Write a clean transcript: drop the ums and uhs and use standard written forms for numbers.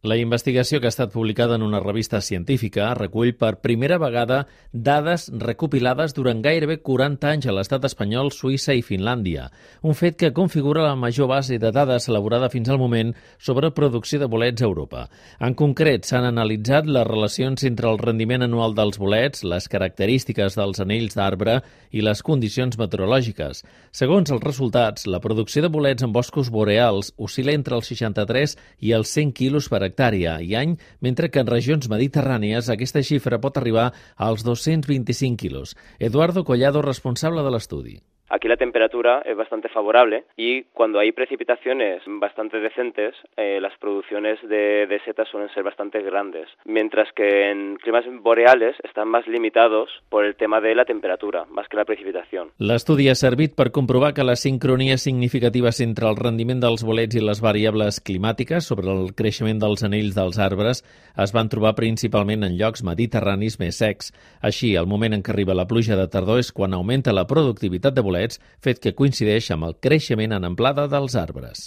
La investigació, que ha estat publicada en una revista científica, recull per primera vegada dades recopilades durant gairebé 40 anys a l'estat espanyol, Suïssa i Finlàndia, un fet que configura la major base de dades elaborada fins al moment sobre producció de bolets a Europa. En concret, s'han analitzat les relacions entre el rendiment anual dels bolets, les característiques dels anells d'arbre i les condicions meteorològiques. Segons els resultats, la producció de bolets en boscos boreals oscil·la entre els 63 i els 100 quilos per hectàrea i any, mentre que en regions mediterrànies aquesta xifra pot arribar als 225 quilos. Eduardo Collado, responsable de l'estudi. Aquí la temperatura es bastante favorable y cuando hay precipitaciones bastante decentes, las producciones de setas suelen ser bastante grandes, mientras que en climas boreales están más limitados por el tema de la temperatura, más que la precipitación. L'estudi ha servit per comprovar que les sincronies significatives entre el rendiment dels bolets i les variables climàtiques sobre el creixement dels anells dels arbres es van trobar principalment en llocs mediterranis més secs. Així, el moment en què arriba la pluja de tardor és quan augmenta la productivitat de bolets, fet que coincideix amb el creixement en amplada dels arbres.